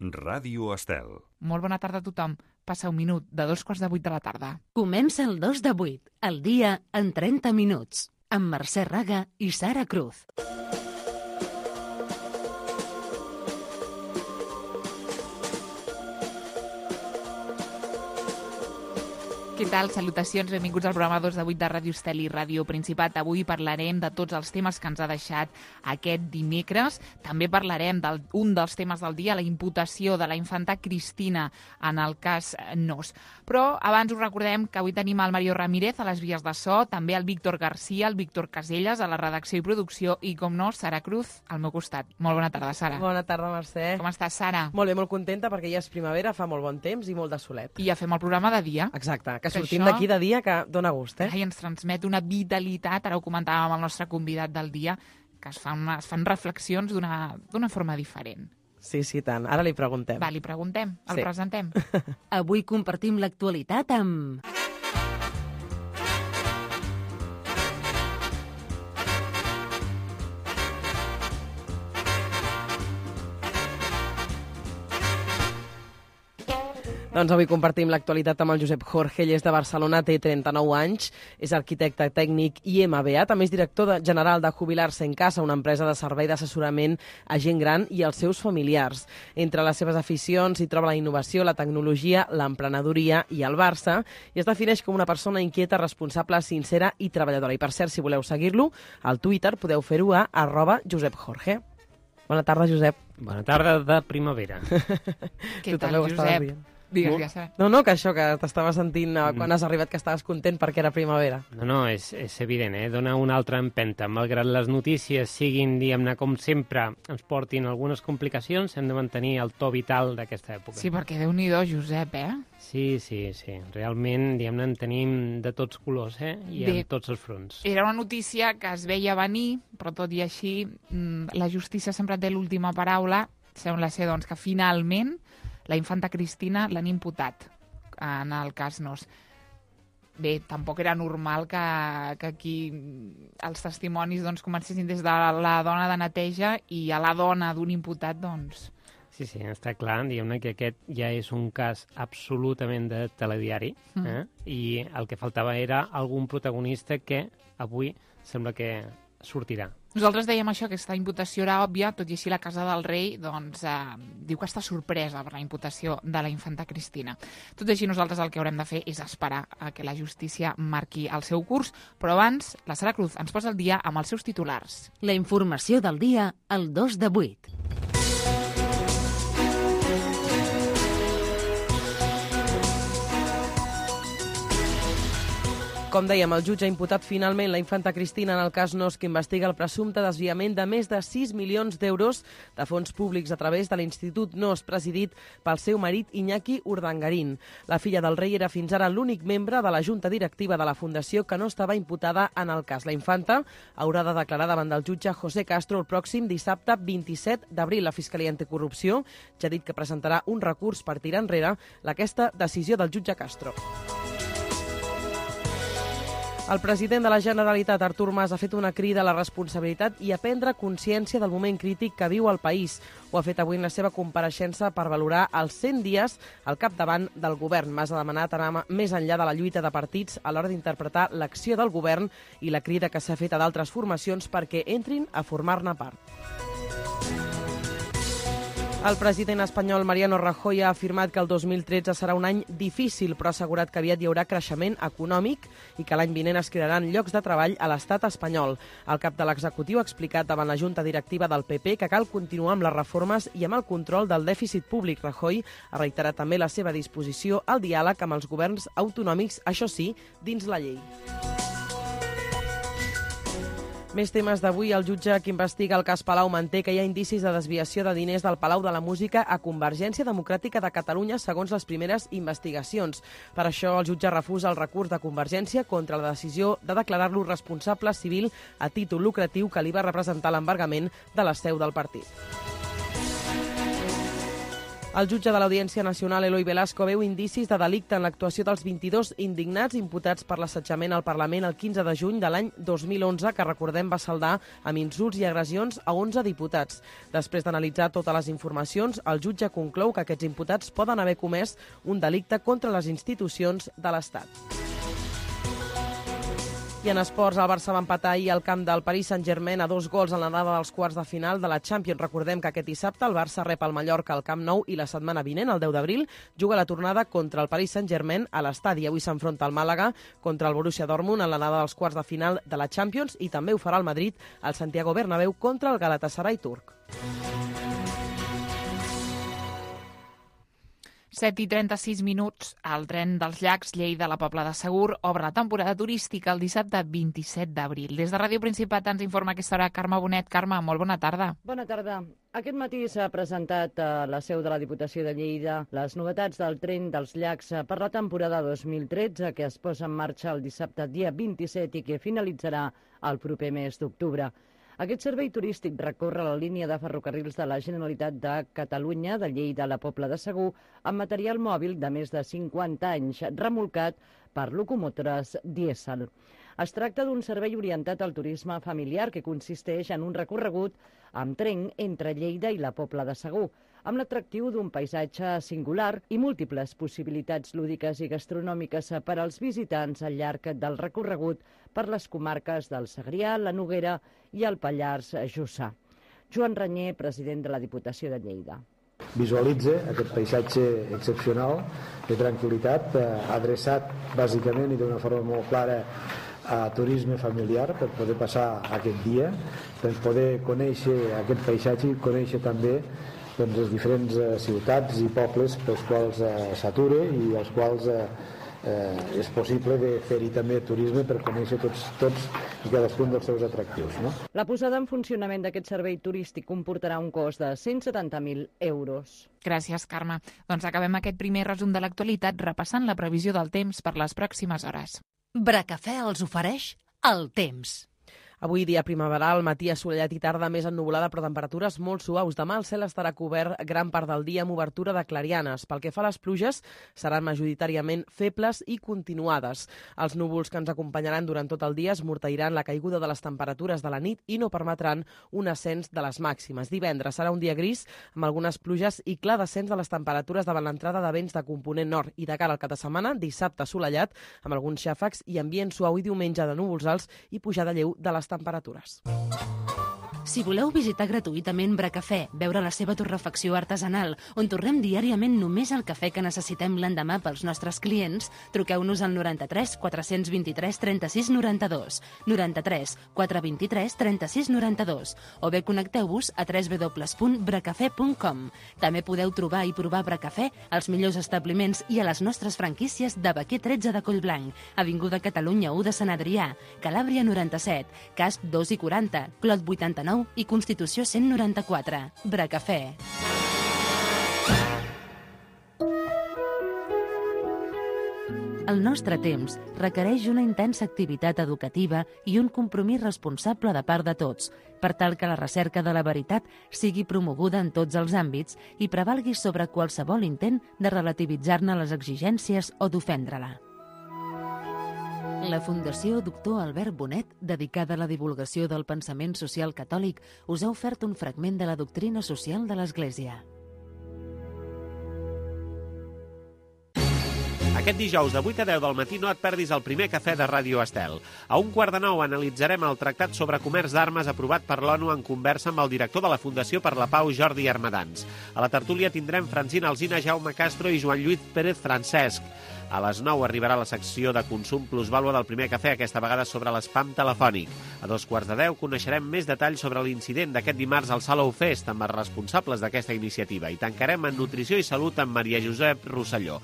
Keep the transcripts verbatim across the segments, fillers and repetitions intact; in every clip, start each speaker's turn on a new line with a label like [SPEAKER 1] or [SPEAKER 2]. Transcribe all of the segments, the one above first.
[SPEAKER 1] Ràdio Estel.
[SPEAKER 2] Molt bona tarda a tothom. Passa un minut de dos quarts de vuit de la tarda.
[SPEAKER 3] Comença el dos de vuit, el dia en trenta minuts, amb Mercè Raga i Sara Cruz.
[SPEAKER 2] Què tal? Salutacions, benvinguts al programa dos de vuit de Ràdio Estel i Ràdio Principat. Avui parlarem de tots els temes que ens ha deixat aquest dimecres. També parlarem d'un dels temes del dia, la imputació de la infanta Cristina en el cas Nóos. Però abans us recordem que avui tenim el Mario Ramírez a les vies de so, també el Víctor García, el Víctor Caselles a la redacció i producció i, com no, Sara Cruz al meu costat. Molt bona tarda, Sara.
[SPEAKER 4] Bona tarda, Mercè.
[SPEAKER 2] Com estàs, Sara?
[SPEAKER 4] Molt bé, molt contenta perquè ja és primavera, fa molt bon temps i molt de solet.
[SPEAKER 2] I ja fem el programa de dia.
[SPEAKER 4] Exacte, que
[SPEAKER 2] Que
[SPEAKER 4] sortim
[SPEAKER 2] això-
[SPEAKER 4] d'aquí de dia que dona gust, eh?
[SPEAKER 2] Ai, ens transmet una vitalitat, ara ho comentàvem amb el nostre convidat del dia, que es fan, es fan reflexions d'una d'una forma diferent.
[SPEAKER 4] Sí, sí, tant. Ara li preguntem.
[SPEAKER 2] Va, li preguntem, el
[SPEAKER 4] Sí.
[SPEAKER 2] presentem.
[SPEAKER 3] Avui compartim l'actualitat amb...
[SPEAKER 4] Doncs avui compartim l'actualitat amb el Josep Jorge. Ell és de Barcelona, té trenta-nou anys, és arquitecte tècnic i M B A, també és director de, general de Jubilar-se en Casa, una empresa de servei d'assessorament a gent gran i als seus familiars. Entre les seves aficions hi troba la innovació, la tecnologia, l'emprenedoria i el Barça, i es defineix com una persona inquieta, responsable, sincera i treballadora. I per cert, si voleu seguir-lo, al Twitter podeu fer-ho a arroba Josep Jorge. Bona tarda, Josep.
[SPEAKER 5] Bona tarda de primavera.
[SPEAKER 2] Què
[SPEAKER 4] Tu
[SPEAKER 2] tal,
[SPEAKER 4] també ho estaves
[SPEAKER 2] Josep?
[SPEAKER 4] dient.
[SPEAKER 2] Digues,
[SPEAKER 4] Molt-
[SPEAKER 2] digues, Sara.
[SPEAKER 4] No, no, que això, que t'estava sentint eh, quan has arribat, que estaves content perquè era primavera.
[SPEAKER 5] No, no, és, és evident, eh? Dona una altra empenta. Malgrat les notícies siguin, diguem-ne, com sempre, ens portin algunes complicacions, hem de mantenir el to vital d'aquesta època.
[SPEAKER 2] Sí, perquè Déu-n'hi-do, Josep, eh?
[SPEAKER 5] sí, sí, sí. Realment, diguem-ne, en tenim de tots colors, eh? I
[SPEAKER 2] Bé.
[SPEAKER 5] en tots els fronts.
[SPEAKER 2] Era una notícia que es veia venir, però tot i així, mm, la justícia sempre té l'última paraula. Sembla ser, doncs, que finalment la infanta Cristina l'han imputat en el cas Nóos. Bé, tampoc era normal que, que aquí els testimonis doncs, comencessin des de la dona de neteja i a la dona d'un imputat, doncs...
[SPEAKER 5] Sí, sí, està clar, diguem-ne que aquest ja és un cas absolutament de telediari, eh? I el que faltava era algun protagonista que avui sembla que sortirà.
[SPEAKER 2] Nosaltres dèiem això, que aquesta imputació era òbvia, tot i així la Casa del Rei doncs, eh, diu que està sorpresa per la imputació de la infanta Cristina. Tot i així nosaltres el que haurem de fer és esperar a que la justícia marqui el seu curs, però abans la Sara Cruz ens posa al dia amb els seus titulars.
[SPEAKER 3] La informació del dia al dos de vuit.
[SPEAKER 4] Com dèiem, el jutge ha imputat finalment la infanta Cristina en el cas Nóos, que investiga el presumpte desviament de més de sis milions d'euros de fons públics a través de l'Institut Nóos, presidit pel seu marit Iñaki Urdangarín. La filla del rei era fins ara l'únic membre de la junta directiva de la Fundació que no estava imputada en el cas. La infanta haurà de declarar davant del jutge José Castro el pròxim dissabte vint-i-set d'abril. La Fiscalia Anticorrupció ja ha dit que presentarà un recurs per tirar enrere aquesta decisió del jutge Castro. El president de la Generalitat, Artur Mas, ha fet una crida a la responsabilitat i a prendre consciència del moment crític que viu el país. Ho ha fet avui en la seva compareixença per valorar els cent dies al capdavant del govern. Mas ha demanat anar més enllà de la lluita de partits a l'hora d'interpretar l'acció del govern i la crida que s'ha fet a d'altres formacions perquè entrin a formar-ne part. El president espanyol Mariano Rajoy ha afirmat que el dos mil tretze serà un any difícil, però ha assegurat que aviat hi haurà creixement econòmic i que l'any vinent es crearan llocs de treball a l'estat espanyol. El cap de l'executiu ha explicat davant la junta directiva del P P que cal continuar amb les reformes i amb el control del dèficit públic. Rajoy ha reiterat també la seva disposició al diàleg amb els governs autonòmics, això sí, dins la llei. Més temes d'avui. El jutge que investiga el cas Palau manté que hi ha indicis de desviació de diners del Palau de la Música a Convergència Democràtica de Catalunya, segons les primeres investigacions. Per això, el jutge refusa el recurs de Convergència contra la decisió de declarar-lo responsable civil a títol lucratiu que li va representar l'embargament de la seu del partit. El jutge de l'Audiència Nacional, Eloi Velasco, veu indicis de delicte en l'actuació dels vint-i-dos indignats imputats per l'assetjament al Parlament el quinze de juny de l'any dos mil onze, que recordem va saldar amb insults i agressions a onze diputats. Després d'analitzar totes les informacions, el jutge conclou que aquests imputats poden haver comès un delicte contra les institucions de l'Estat. I en esports, el Barça va empatar ahir al camp del Paris Saint-Germain a dos gols en l'anada dels quarts de final de la Champions. Recordem que aquest dissabte el Barça rep el Mallorca al Camp Nou i la setmana vinent, el deu d'abril, juga la tornada contra el Paris Saint-Germain a l'estadi. Avui s'enfronta el Màlaga contra el Borussia Dortmund en l'anada dels quarts de final de la Champions i també ho farà el Madrid al Santiago Bernabéu contra el Galatasaray turc.
[SPEAKER 2] set i trenta-sis minuts, el tren dels llacs Lleida a la Pobla de Segur obre la temporada turística el dissabte vint-i-set d'abril. Des de Ràdio Principat ens informa a aquesta hora Carme Bonet. Carme, molt bona tarda.
[SPEAKER 1] Bona tarda. Aquest matí s'ha presentat a la seu de la Diputació de Lleida les novetats del tren dels llacs per la temporada dos mil tretze, que es posa en marxa el dissabte dia vint-i-set i que finalitzarà el proper mes d'octubre. Aquest servei turístic recorre la línia de ferrocarrils de la Generalitat de Catalunya, de Lleida a la Pobla de Segur, amb material mòbil de més de cinquanta anys, remolcat per locomotores dièsel. Es tracta d'un servei orientat al turisme familiar que consisteix en un recorregut amb tren entre Lleida i la Pobla de Segur, amb l'atractiu d'un paisatge singular i múltiples possibilitats lúdiques i gastronòmiques per als visitants al llarg del recorregut per les comarques del Segrià, la Noguera i el Pallars Jussà. Joan Ranyer, president de la Diputació de Lleida.
[SPEAKER 6] Visualitza aquest paisatge excepcional de tranquil·litat, eh, adreçat bàsicament i d'una forma molt clara a turisme familiar, per poder passar aquest dia, per poder conèixer aquest paisatge i conèixer també doncs, les diferents eh, ciutats i pobles pels quals eh, s'atura i els quals eh, eh, és possible de fer-hi també turisme per conèixer tots, tots i cadascun dels seus atractius. No?
[SPEAKER 1] La posada en funcionament d'aquest servei turístic comportarà un cost de cent setanta mil euros.
[SPEAKER 2] Gràcies, Carme. Doncs acabem aquest primer resum de l'actualitat repassant la previsió del temps per les pròximes hores.
[SPEAKER 3] Bracafè els ofereix el temps.
[SPEAKER 4] Avui dia primaveral, matí assolellat i tarda més ennuvolada, però temperatures molt suaus. Demà el cel estarà cobert gran part del dia amb obertura de clarianes. Pel que fa a les pluges, seran majoritàriament febles i continuades. Els núvols que ens acompanyaran durant tot el dia esmorteiran la caiguda de les temperatures de la nit i no permetran un ascens de les màximes. Divendres serà un dia gris amb algunes pluges i clar descens de les temperatures davant l'entrada de vents de component nord. I de cara al cap de setmana, dissabte assolellat amb alguns xàfecs i ambient suau, i diumenge de núvols alts i pujada lleu de les temperatures.
[SPEAKER 3] Si voleu visitar gratuïtament Bracafè, veure la seva torrefacció artesanal, on torrem diàriament només el cafè que necessitem l'endemà pels nostres clients, truqueu-nos al noranta-tres quatre-cents vint-i-tres trenta-sis noranta-dos, noranta-tres quatre vint-i-tres trenta-sis noranta-dos, o bé connecteu-vos a w w w punt bracafè punt com. També podeu trobar i provar Bracafè als millors establiments i a les nostres franquícies de Baquer tretze de Collblanc, Avinguda Catalunya u de Sant Adrià, Calàbria noranta-set, Casp dos i quaranta, Clot vuitanta-nou i Constitució cent noranta-quatre. Bracafè. El nostre temps requereix una intensa activitat educativa i un compromís responsable de part de tots, per tal que la recerca de la veritat sigui promoguda en tots els àmbits i prevalgui sobre qualsevol intent de relativitzar-ne les exigències o d'ofendre-la. La Fundació Doctor Albert Bonet, dedicada a la divulgació del pensament social catòlic, us ha ofert un fragment de la doctrina social de l'Església.
[SPEAKER 7] Aquest dijous de vuit a deu del matí no et perdis el primer cafè de Ràdio Estel. A un quart de nou analitzarem el tractat sobre comerç d'armes aprovat per l'ONU en conversa amb el director de la Fundació per la Pau, Jordi Armadans. A la tertúlia tindrem Francina Alsina, Jaume Castro i Joan Lluís Pérez Francesc. A les nou arribarà la secció de consum plusvàlua del primer cafè, aquesta vegada sobre l'espam telefònic. A dos quarts de deu coneixerem més detalls sobre l'incident d'aquest dimarts al Salou Fest amb els responsables d'aquesta iniciativa i tancarem en Nutrició i Salut amb Maria Josep Rosselló.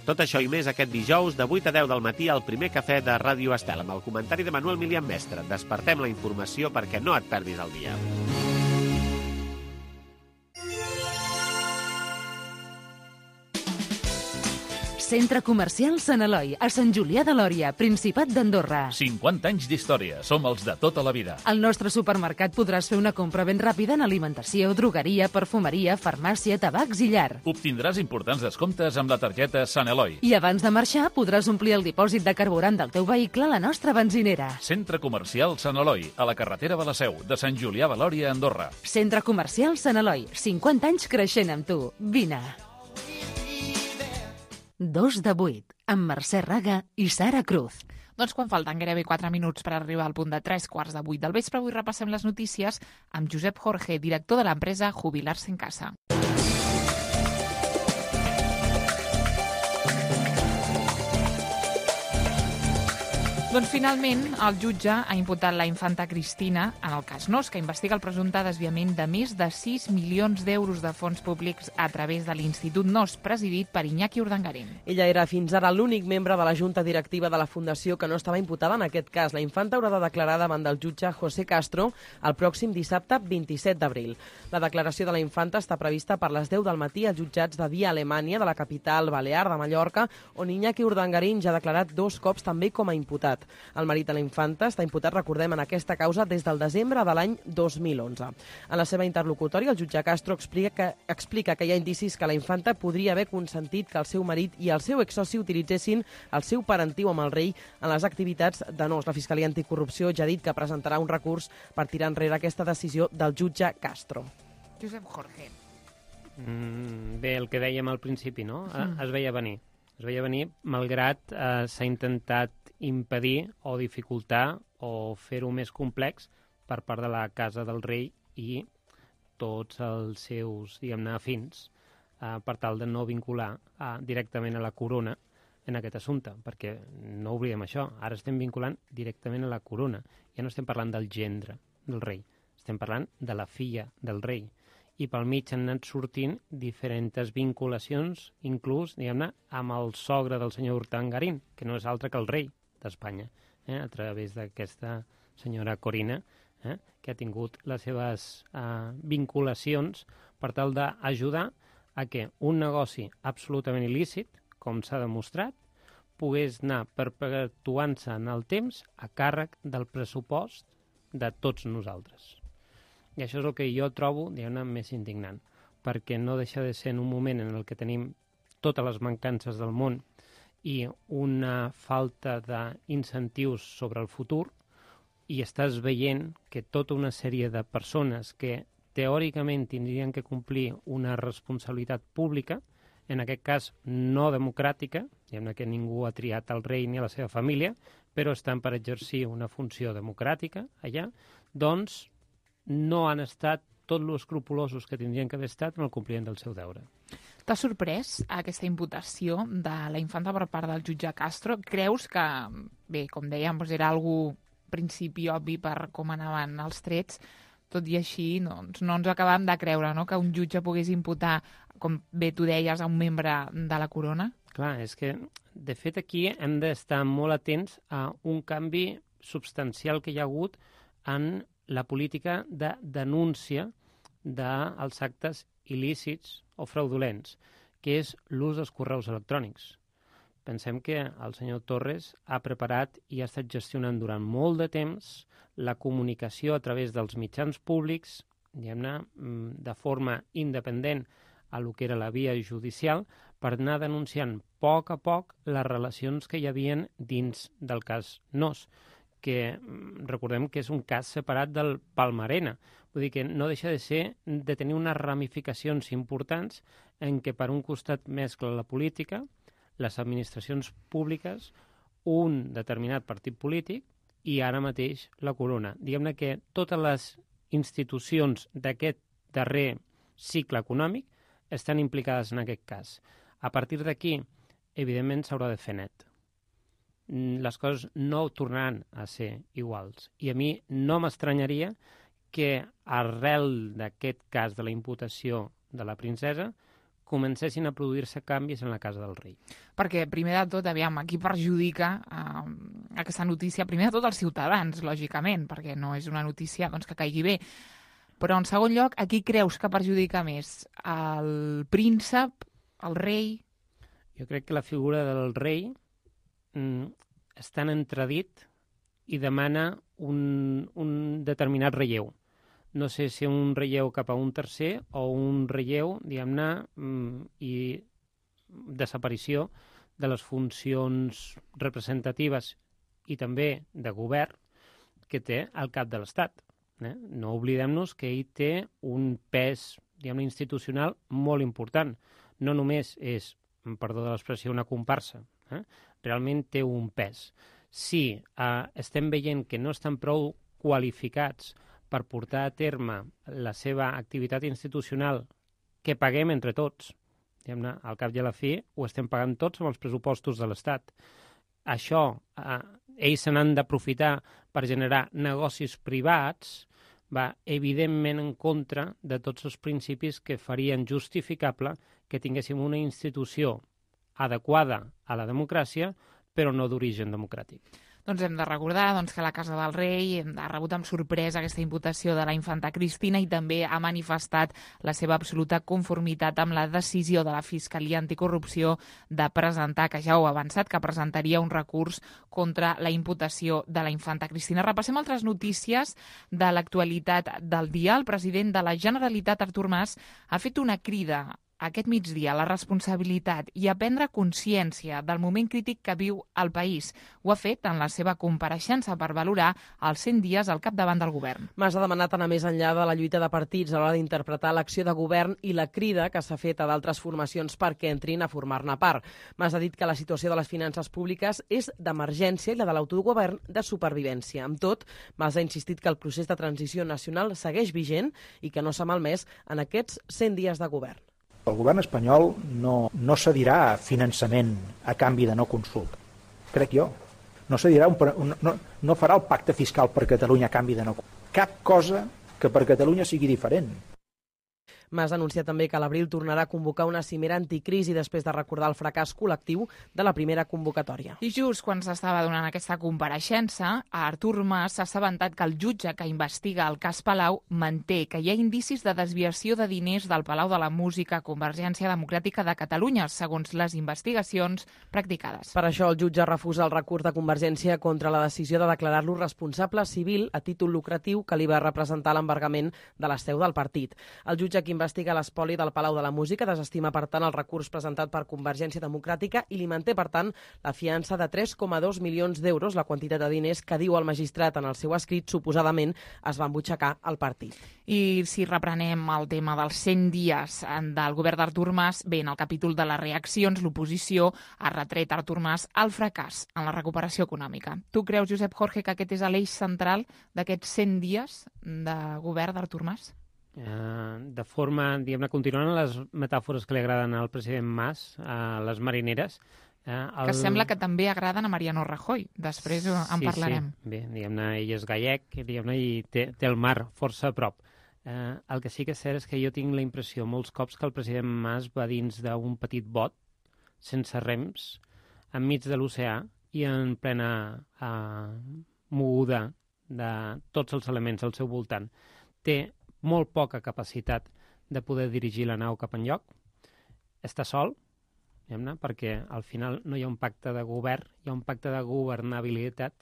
[SPEAKER 7] Tot això i més aquest dijous de vuit a deu del matí al primer cafè de Ràdio Estel amb el comentari de Manuel Milian Mestre. Despertem la informació perquè no et perdis el dia.
[SPEAKER 3] Centre Comercial Sant Eloi, a Sant Julià de Lòria, Principat d'Andorra.
[SPEAKER 8] cinquanta anys d'història. Som els de tota la vida.
[SPEAKER 3] Al nostre supermercat podràs fer una compra ben ràpida en alimentació, drogueria, perfumeria, farmàcia, tabacs i llar.
[SPEAKER 8] Obtindràs importants descomptes amb la targeta Sant Eloi.
[SPEAKER 3] I abans de marxar podràs omplir el dipòsit de carburant del teu vehicle a la nostra benzinera.
[SPEAKER 8] Centre Comercial Sant Eloi, a la carretera de la Seu, de Sant Julià de Lòria, Andorra.
[SPEAKER 3] Centre Comercial Sant Eloi, cinquanta anys creixent amb tu. Vine. Dos de vuit, amb Mercè Raga i Sara Cruz.
[SPEAKER 2] Doncs quan falten gairebé quatre minuts per arribar al punt de tres quarts de vuit del vespre, avui repassem les notícies amb Josep Jorge, director de l'empresa Jubilar-se en Casa. Doncs finalment el jutge ha imputat la infanta Cristina en el cas Nos, que investiga el presumpte desviament de més de sis milions d'euros de fons públics a través de l'Institut Nos, presidit per Iñaki Urdangarín.
[SPEAKER 4] Ella era fins ara l'únic membre de la junta directiva de la Fundació que no estava imputada en aquest cas. La infanta haurà de declarar davant del jutge José Castro el pròxim dissabte vint-i-set d'abril. La declaració de la infanta està prevista per les deu del matí als jutjats de Via Alemanya, de la capital balear de Mallorca, on Iñaki Urdangarín ja ha declarat dos cops també com a imputat. El marit de la infanta està imputat, recordem, en aquesta causa des del desembre de l'any dos mil onze. En la seva interlocutòria, el jutge Castro explica que, explica que hi ha indicis que la infanta podria haver consentit que el seu marit i el seu exsoci utilitzessin el seu parentiu amb el rei en les activitats de Nos. La Fiscalia Anticorrupció ja ha dit que presentarà un recurs per tirar enrere aquesta decisió del jutge Castro.
[SPEAKER 2] Josep Jorge.
[SPEAKER 5] Mm, bé, el que dèiem al principi, no? Mm. Es veia venir. Es veia venir, malgrat eh, s'ha intentat impedir o dificultar o fer-ho més complex per part de la Casa del Rei i tots els seus, diguem-ne, afins, eh, per tal de no vincular eh, directament a la corona en aquest assumpte, perquè no oblidem això, ara estem vinculant directament a la corona. Ja no estem parlant del gendre del rei, estem parlant de la filla del rei. I pel mig han anat sortint diferents vinculacions, inclús, diguem-ne, amb el sogre del senyor Urdangarín, que no és altre que el rei d'Espanya, eh, a través d'aquesta senyora Corina, eh, que ha tingut les seves eh, vinculacions per tal d'ajudar a que un negoci absolutament il·lícit, com s'ha demostrat, pogués anar perpetuant-se en el temps a càrrec del pressupost de tots nosaltres. I això és el que jo trobo, diguem-ne, més indignant, perquè no deixa de ser en un moment en el que tenim totes les mancances del món i una falta d'incentius sobre el futur, i estàs veient que tota una sèrie de persones que teòricament tindrien que complir una responsabilitat pública, en aquest cas no democràtica, diguem-ne que ningú ha triat el rei ni a la seva família, però estan per exercir una funció democràtica allà, doncs no han estat tot lo escrupulosos que tindrien que haver estat en el compliment del seu deure.
[SPEAKER 2] T'ha sorprès aquesta imputació de la infanta per part del jutge Castro? Creus que, bé, com dèiem, doncs era algú principi obvi per com anaven els trets, tot i així doncs, no ens acabem de creure, no?, que un jutge pogués imputar, com bé tu deies, a un membre de la corona?
[SPEAKER 5] Clar, és que, de fet, aquí hem d'estar molt atents a un canvi substancial que hi ha hagut en la política de denúncia dels actes il·lícits o fraudulents, que és l'ús dels correus electrònics. Pensem que el senyor Torres ha preparat i ha estat gestionant durant molt de temps la comunicació a través dels mitjans públics, diguem-ne, de forma independent a lo que era la via judicial, per anar denunciant a poc a poc les relacions que hi havien dins del cas Nos, que recordem que és un cas separat del Palmarena. Vull dir que no deixa de ser de tenir unes ramificacions importants en què per un costat mescla la política, les administracions públiques, un determinat partit polític i ara mateix la corona. Diguem-ne que totes les institucions d'aquest darrer cicle econòmic estan implicades en aquest cas. A partir d'aquí, evidentment, s'haurà de fer net. Les coses no tornaran a ser iguals. I a mi no m'estranyaria que arrel d'aquest cas de la imputació de la princesa comencessin a produir-se canvis en la casa del rei.
[SPEAKER 2] Perquè, primer de tot, aviam, aquí perjudica eh, aquesta notícia, primer de tot els ciutadans, lògicament, perquè no és una notícia doncs, que caigui bé. Però, en segon lloc, a qui creus que perjudica més? El príncep, el rei?
[SPEAKER 5] Jo crec que la figura del rei mm, està en entredit i demana un, un determinat relleu. No sé si un relleu cap a un tercer o un relleu, diguem-ne, mm, i desaparició de les funcions representatives i també de govern que té al cap de l'Estat. Eh? No oblidem-nos que ell té un pes, diguem-ne, institucional molt important. No només és, perdó de l'expressió, una comparsa, eh? Realment té un pes. Si eh, estem veient que no estan prou qualificats per portar a terme la seva activitat institucional que paguem entre tots, diguem-ne, al cap i a la fi ho estem pagant tots amb els pressupostos de l'Estat. Això, eh, ells se n'han d'aprofitar per generar negocis privats, va evidentment en contra de tots els principis que farien justificable que tinguéssim una institució adequada a la democràcia, però no d'origen democràtic.
[SPEAKER 2] Doncs hem de recordar doncs, que la Casa del Rei ha rebut amb sorpresa aquesta imputació de la infanta Cristina i també ha manifestat la seva absoluta conformitat amb la decisió de la Fiscalia Anticorrupció de presentar, que ja ho ha avançat, que presentaria un recurs contra la imputació de la infanta Cristina. Repassem altres notícies de l'actualitat del dia. El president de la Generalitat, Artur Mas, ha fet una crida aquest migdia la responsabilitat i a prendre consciència del moment crític que viu el país. Ho ha fet en la seva compareixença per valorar els cent dies al capdavant del govern.
[SPEAKER 4] Mas ha demanat anar més enllà de la lluita de partits a l'hora d'interpretar l'acció de govern i la crida que s'ha fet a d'altres formacions perquè entrin a formar-ne part. Mas ha dit que la situació de les finances públiques és d'emergència i la de l'autogovern de supervivència. Amb tot, Mas ha insistit que el procés de transició nacional segueix vigent i que no s'ha malmès en aquests cent dies de govern.
[SPEAKER 9] El govern espanyol no, no cedirà finançament a canvi de no consulta, crec jo. No cedirà un, un, no, no farà el pacte fiscal per Catalunya a canvi de no consulta. Cap cosa que per Catalunya sigui diferent.
[SPEAKER 4] Mas ha anunciat també que a l'abril tornarà a convocar una cimera anticrisi després de recordar el fracàs col·lectiu de la primera convocatòria.
[SPEAKER 2] I just quan s'estava donant aquesta compareixença, Artur Mas s'ha assabentat que el jutge que investiga el cas Palau manté que hi ha indicis de desviació de diners del Palau de la Música Convergència Democràtica de Catalunya, segons les investigacions practicades.
[SPEAKER 4] Per això el jutge refusa el recurs de Convergència contra la decisió de declarar-lo responsable civil a títol lucratiu que li va representar l'embargament de la seu del partit. El jutge que investiga l'espoli del Palau de la Música desestima, per tant, el recurs presentat per Convergència Democràtica i li manté, per tant, la fiança de tres coma dos milions d'euros, la quantitat de diners que diu el magistrat en el seu escrit, suposadament es va embutxacar al partit.
[SPEAKER 2] I si reprenem el tema dels cent dies del govern d'Artur Mas, bé, en el capítol de les reaccions, l'oposició ha retret a Artur Mas el fracàs en la recuperació econòmica. Tu creus, Josep Jorge, que aquest és l'eix central d'aquests cent dies de govern d'Artur Mas?
[SPEAKER 5] Uh, de forma, diguem-ne, continuant les metàfores que li agraden al president Mas, a les marineres. Uh, el...
[SPEAKER 2] Que sembla que també agraden a Mariano Rajoy. Després en
[SPEAKER 5] sí,
[SPEAKER 2] parlarem.
[SPEAKER 5] Sí, bé, diguem-ne, ell és gallec, diguem-ne, i té, té el mar força a prop. Uh, el que sí que és cert és que jo tinc la impressió molts cops que el president Mas va dins d'un petit bot, sense rems, enmig de l'oceà i en plena uh, moguda de tots els elements al seu voltant. Té molt poca capacitat de poder dirigir la nau cap enlloc. Està sol, diguem-ne, perquè al final no hi ha un pacte de govern, hi ha un pacte de governabilitat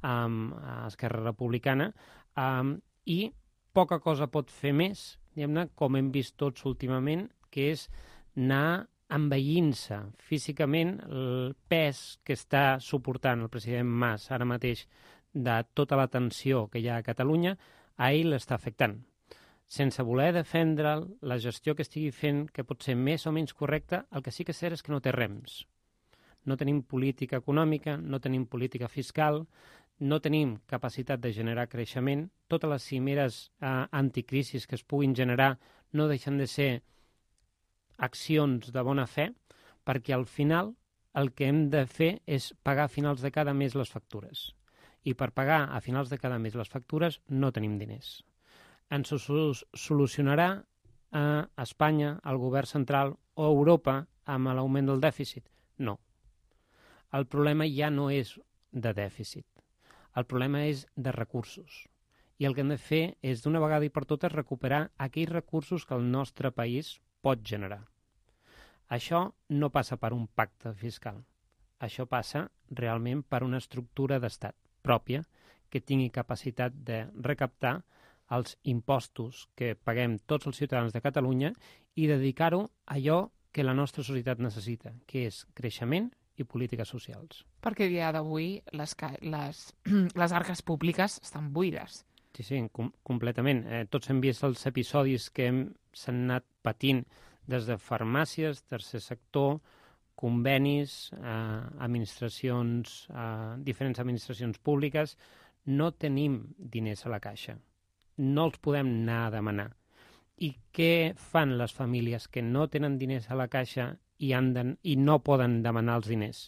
[SPEAKER 5] amb Esquerra Republicana um, i poca cosa pot fer més, diguem-ne, com hem vist tots últimament, que és anar envaint-se físicament el pes que està suportant el president Mas ara mateix de tota la tensió que hi ha a Catalunya, a ell l'està afectant. Sense voler defendre la gestió que estigui fent, que pot ser més o menys correcta, el que sí que és cert és que no té rems. No tenim política econòmica, no tenim política fiscal, no tenim capacitat de generar creixement. Totes les cimeres eh, anticrisis que es puguin generar no deixen de ser accions de bona fe, perquè al final el que hem de fer és pagar a finals de cada mes les factures. I per pagar a finals de cada mes les factures no tenim diners. Ens ho solucionarà a Espanya, al govern central o a Europa amb l'augment del dèficit? No. El problema ja no és de dèficit. El problema és de recursos. I el que hem de fer és, d'una vegada i per totes, recuperar aquells recursos que el nostre país pot generar. Això no passa per un pacte fiscal. Això passa realment per una estructura d'estat pròpia que tingui capacitat de recaptar els impostos que paguem tots els ciutadans de Catalunya i dedicar-ho a allò que la nostra societat necessita, que és creixement i polítiques socials.
[SPEAKER 2] Perquè a dia d'avui les, les, les arques públiques estan buides.
[SPEAKER 5] Sí, sí, com, completament. Eh, tots hem vist els episodis que s'han anat patint des de farmàcies, tercer sector, convenis, eh, administracions, eh, diferents administracions públiques. No tenim diners a la caixa. No els podem anar a demanar. I què fan les famílies que no tenen diners a la caixa i, han de, i no poden demanar els diners?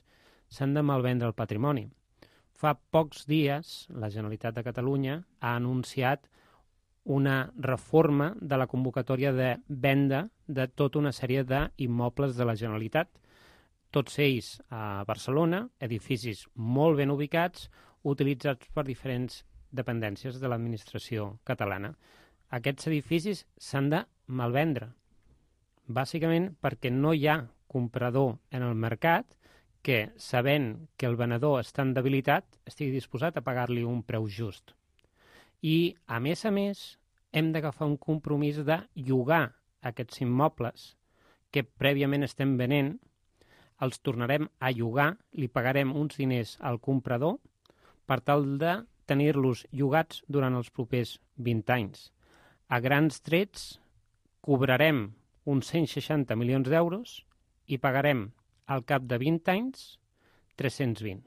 [SPEAKER 5] S'han de malvendre el patrimoni. Fa pocs dies la Generalitat de Catalunya ha anunciat una reforma de la convocatòria de venda de tota una sèrie d'immobles de la Generalitat, tots ells a Barcelona, edificis molt ben ubicats, utilitzats per diferents dependències de l'administració catalana. Aquests edificis s'han de malvendre, bàsicament perquè no hi ha comprador en el mercat que, sabent que el venedor està en debilitat, estigui disposat a pagar-li un preu just. I, a més a més, hem d'agafar un compromís de llogar aquests immobles que prèviament estem venent, els tornarem a llogar, li pagarem uns diners al comprador per tal de tenir-los llogats durant els propers vint anys. A grans trets, cobrarem uns cent seixanta milions d'euros i pagarem al cap de vint anys tres-cents vint.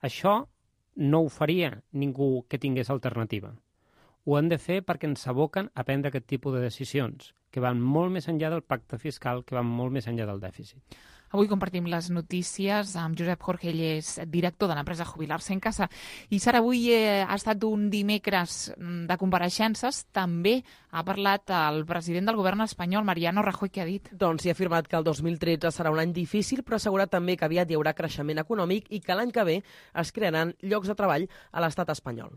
[SPEAKER 5] Això no ho faria ningú que tingués alternativa. Ho han de fer perquè ens aboquen a prendre aquest tipus de decisions, que van molt més enllà del pacte fiscal, que van molt més enllà del dèficit.
[SPEAKER 2] Avui compartim les notícies amb Josep Jorge, ell és director de l'empresa Jubilar-se en Casa. I Sara, avui eh, ha estat un dimecres de compareixences. També ha parlat el president del govern espanyol, Mariano Rajoy, que ha dit?
[SPEAKER 4] Doncs hi ha afirmat que el dos mil tretze serà un any difícil, però ha assegurat també que aviat hi haurà creixement econòmic i que l'any que ve es crearan llocs de treball a l'estat espanyol.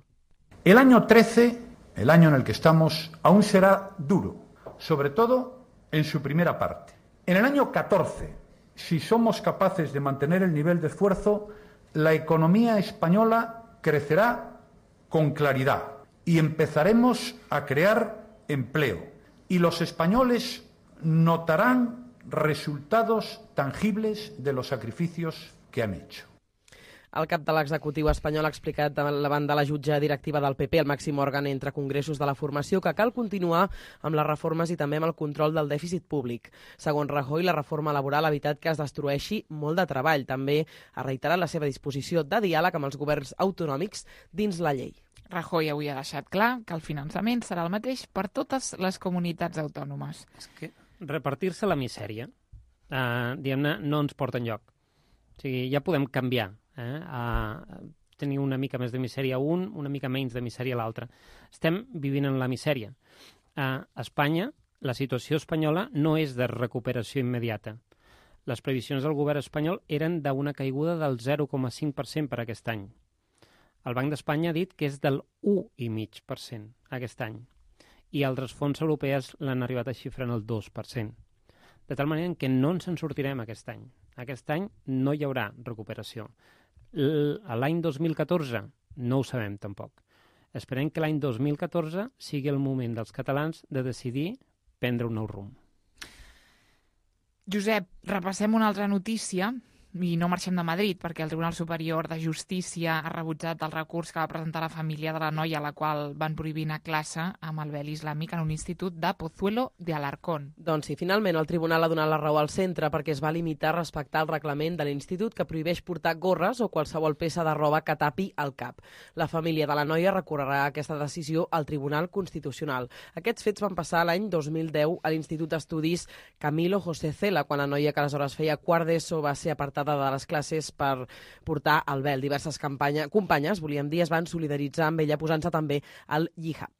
[SPEAKER 10] El año trece, el año en el que estamos, aún será duro, sobre todo en su primera parte. En el año catorce, si somos capaces de mantener el nivel de esfuerzo, la economía española crecerá con claridad y empezaremos a crear empleo. Y los españoles notarán resultados tangibles de los sacrificios que han hecho.
[SPEAKER 4] El cap de l'executiu espanyol ha explicat davant de la jutge directiva del P P, el màxim òrgan entre congressos de la formació, que cal continuar amb les reformes i també amb el control del dèficit públic. Segons Rajoy, la reforma laboral ha evitat que es destrueixi molt de treball. També ha reiterat la seva disposició de diàleg amb els governs autonòmics dins la llei.
[SPEAKER 2] Rajoy avui ha deixat clar que el finançament serà el mateix per totes les comunitats autònomes.
[SPEAKER 5] És que repartir-se la misèria, eh, diguem-ne, no ens porta enlloc. O sigui, ja podem canviar. Eh, a tenir una mica més de misèria un, una mica menys de misèria l'altre. Estem vivint en la misèria. A Espanya, la situació espanyola no és de recuperació immediata. Les previsions del govern espanyol eren d'una caiguda del zero coma cinc per cent per aquest any. El Banc d'Espanya ha dit que és del u coma cinc per cent aquest any. I altres fons europeus l'han arribat a xifrar en el dos per cent. De tal manera que no ens en sortirem aquest any. Aquest any no hi haurà recuperació. L'any dos mil catorze no ho sabem tampoc. Esperem que l'any dos mil catorze sigui el moment dels catalans de decidir prendre un nou rumb.
[SPEAKER 2] Josep, repassem una altra notícia i no marxem de Madrid, perquè el Tribunal Superior de Justícia ha rebutjat el recurs que va presentar la família de la noia a la qual van prohibir anar a classe amb el vel islàmic en un institut de Pozuelo de Alarcón.
[SPEAKER 4] Doncs sí, finalment el tribunal ha donat la raó al centre perquè es va limitar a respectar el reglament de l'institut que prohibeix portar gorres o qualsevol peça de roba que tapi el cap. La família de la noia recorrerà aquesta decisió al Tribunal Constitucional. Aquests fets van passar l'any dos mil deu a l'Institut d'Estudis Camilo José Cela, quan la noia que aleshores feia quart d'ESO va ser apartada de les classes per portar el vel. Diverses campanya, companyes, volíem dir, es van solidaritzar amb ella posant-se també el hijab.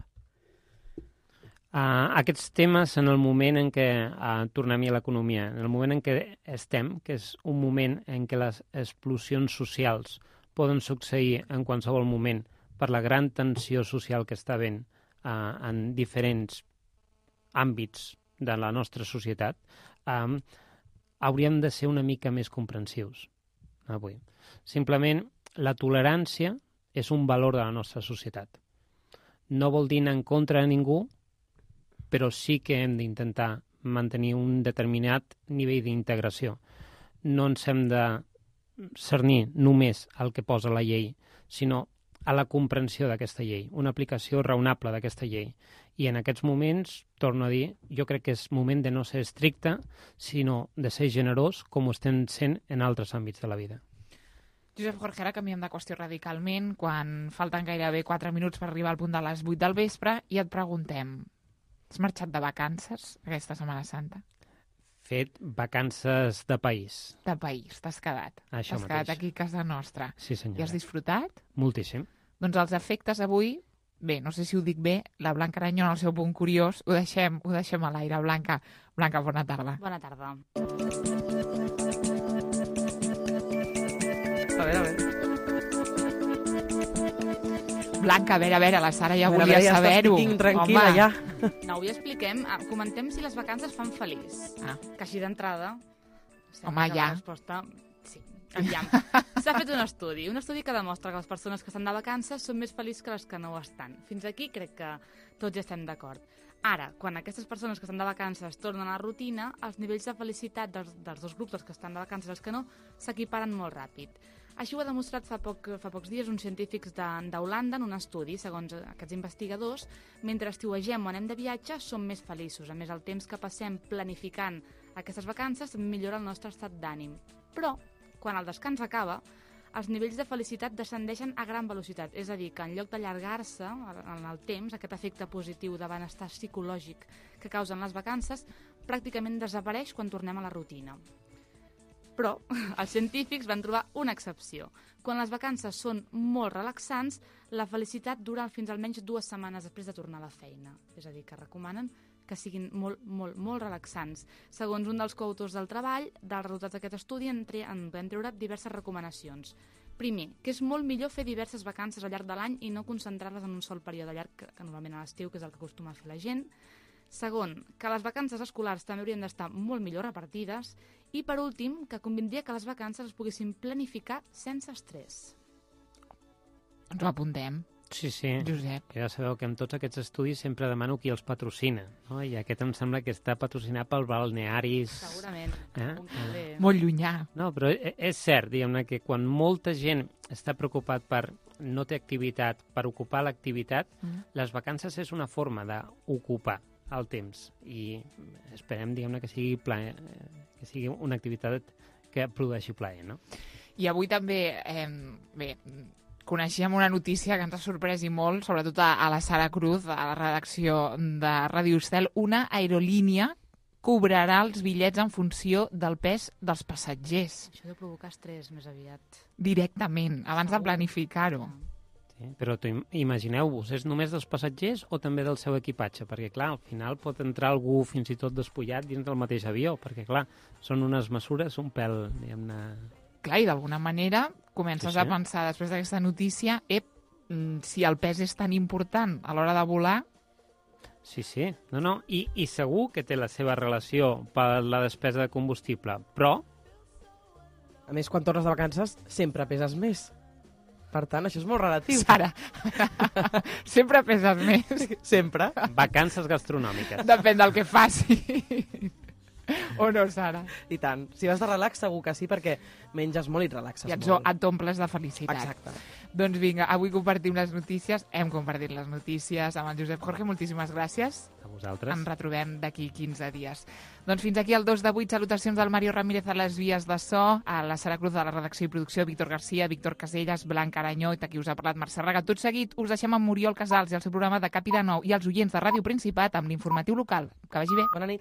[SPEAKER 5] Uh, aquests temes en el moment en què uh, tornem a l'economia, en el moment en què estem, que és un moment en què les explosions socials poden succeir en qualsevol moment per la gran tensió social que està havent uh, en diferents àmbits de la nostra societat, um, hauríem de ser una mica més comprensius avui. Simplement, la tolerància és un valor de la nostra societat. No vol dir anar en contra de ningú, però sí que hem d'intentar mantenir un determinat nivell d'integració. No ens hem de cernir només al que posa la llei, sinó a la comprensió d'aquesta llei, una aplicació raonable d'aquesta llei. I en aquests moments, torno a dir, jo crec que és moment de no ser estricte, sinó de ser generós, com ho estem sent en altres àmbits de la vida.
[SPEAKER 2] Josep Jorge, ara canviem de qüestió radicalment, quan falten gairebé quatre minuts per arribar al punt de les vuit del vespre, i et preguntem, has marxat de vacances aquesta Setmana Santa?
[SPEAKER 5] Fet vacances de país.
[SPEAKER 2] De país, t'has quedat.
[SPEAKER 5] Això
[SPEAKER 2] t'has
[SPEAKER 5] mateix.
[SPEAKER 2] quedat aquí a casa nostra.
[SPEAKER 5] Sí, senyora.
[SPEAKER 2] I has disfrutat?
[SPEAKER 5] Moltíssim.
[SPEAKER 2] Doncs els efectes avui, bé, no sé si ho dic bé, la Blanca Aranyó en el seu punt curiós, ho deixem, ho deixem a l'aire. Blanca, Blanca, bona tarda.
[SPEAKER 11] Bona tarda.
[SPEAKER 4] A veure, a veure.
[SPEAKER 2] Blanca, a veure, a veure, la Sara ja
[SPEAKER 4] A veure,
[SPEAKER 2] volia
[SPEAKER 4] a veure, ja
[SPEAKER 2] saber-ho.
[SPEAKER 4] estàs tranquil·la,
[SPEAKER 2] Home.
[SPEAKER 4] ja.
[SPEAKER 11] No, avui expliquem, ah, comentem si les vacances fan feliç.
[SPEAKER 2] Ah.
[SPEAKER 11] Que així d'entrada...
[SPEAKER 2] Home, ja.
[SPEAKER 11] La resposta... Sí, aviam. S'ha fet un estudi, un estudi que demostra que les persones que estan de vacances són més feliços que les que no ho estan. Fins aquí crec que tots ja estem d'acord. Ara, quan aquestes persones que estan de vacances tornen a la rutina, els nivells de felicitat dels, dels dos grups, els que estan de vacances i els que no, s'equiparen molt ràpid. Així ho ha demostrat fa, poc, fa pocs dies uns científics d'Holanda en un estudi. Segons aquests investigadors, mentre estiuegem o anem de viatge, som més feliços. A més, el temps que passem planificant aquestes vacances també millora el nostre estat d'ànim. Però, quan el descans acaba, els nivells de felicitat descendeixen a gran velocitat. És a dir, que en lloc d'allargar-se en el temps, aquest efecte positiu de benestar psicològic que causen les vacances, pràcticament desapareix quan tornem a la rutina. Però els científics van trobar una excepció. Quan les vacances són molt relaxants, la felicitat dura fins almenys dues setmanes després de tornar a la feina. És a dir, que recomanen que siguin molt, molt, molt relaxants. Segons un dels coautors del treball, dels resultats d'aquest estudi en, tre en vam treure diverses recomanacions. Primer, que és molt millor fer diverses vacances al llarg de l'any i no concentrar-les en un sol període llarg, que, que normalment a l'estiu, que és el que acostuma a fer la gent. Segon, que les vacances escolars també haurien d'estar molt millor repartides. I, per últim, que convindria que les vacances es poguessin planificar sense estrès.
[SPEAKER 2] Ens ho apuntem.
[SPEAKER 5] Sí, sí.
[SPEAKER 2] Josep.
[SPEAKER 5] Que ja sabeu que en tots aquests estudis sempre demano qui els patrocina, no? I aquest em sembla que està patrocinat pel balnearis...
[SPEAKER 11] Segurament.
[SPEAKER 5] Eh?
[SPEAKER 11] Eh?
[SPEAKER 2] Molt llunyà.
[SPEAKER 5] No, però és cert, diguem-ne, que quan molta gent està preocupat per no té activitat, per ocupar l'activitat, mm. les vacances és una forma d'ocupar el temps. I esperem, diguem-ne, que sigui plaer, que sigui una activitat que produeixi plaer, no?
[SPEAKER 2] I avui també, eh, bé, coneixíem una notícia que ens ha sorprès i molt, sobretot a, a la Sara Cruz, a la redacció de Ràdio Estel. Una aerolínia cobrarà els bitllets en funció del pes dels passatgers.
[SPEAKER 11] Això deu provocar estrès més aviat.
[SPEAKER 2] Directament, abans Segur. de planificar-ho.
[SPEAKER 5] Sí, però imagineu-vos, és només dels passatgers o també del seu equipatge? Perquè, clar, al final pot entrar algú fins i tot despullat dins del mateix avió, perquè, clar, són unes mesures un pèl, diguem-ne...
[SPEAKER 2] Clar, i d'alguna manera comences sí, sí. a pensar, després d'aquesta notícia, ep, si el pes és tan important a l'hora de volar...
[SPEAKER 5] Sí, sí, no, no, I, i segur que té la seva relació per la despesa de combustible, però...
[SPEAKER 4] A més, quan tornes de vacances, sempre peses més. Per tant, això és molt relatiu.
[SPEAKER 2] Sara, sempre peses més.
[SPEAKER 4] Sempre.
[SPEAKER 5] Vacances gastronòmiques.
[SPEAKER 2] Depèn del que faci. O no, Sara?
[SPEAKER 4] I tant. Si vas de relax, segur que sí, perquè menges molt i relaxes
[SPEAKER 2] I et
[SPEAKER 4] molt.
[SPEAKER 2] et omples de felicitat.
[SPEAKER 4] Exacte.
[SPEAKER 2] Doncs vinga, avui compartim les notícies. Hem compartit les notícies amb el Josep Jorge. Moltíssimes gràcies.
[SPEAKER 5] A vosaltres.
[SPEAKER 2] Ens retrobem d'aquí quinze dies. Doncs fins aquí el dos de vuit. Salutacions del Mario Ramírez a les vies de so, a la Sara Cruz de la redacció i producció, Víctor Garcia, Víctor Caselles, Blanca Aranyó, i aquí us ha parlat Mercè Raga. Tot seguit us deixem amb Muriel Casals i el seu programa de Cap i de Nou i els oients de Ràdio Principat amb l'informatiu local. Que vagi bé.
[SPEAKER 4] Bona nit.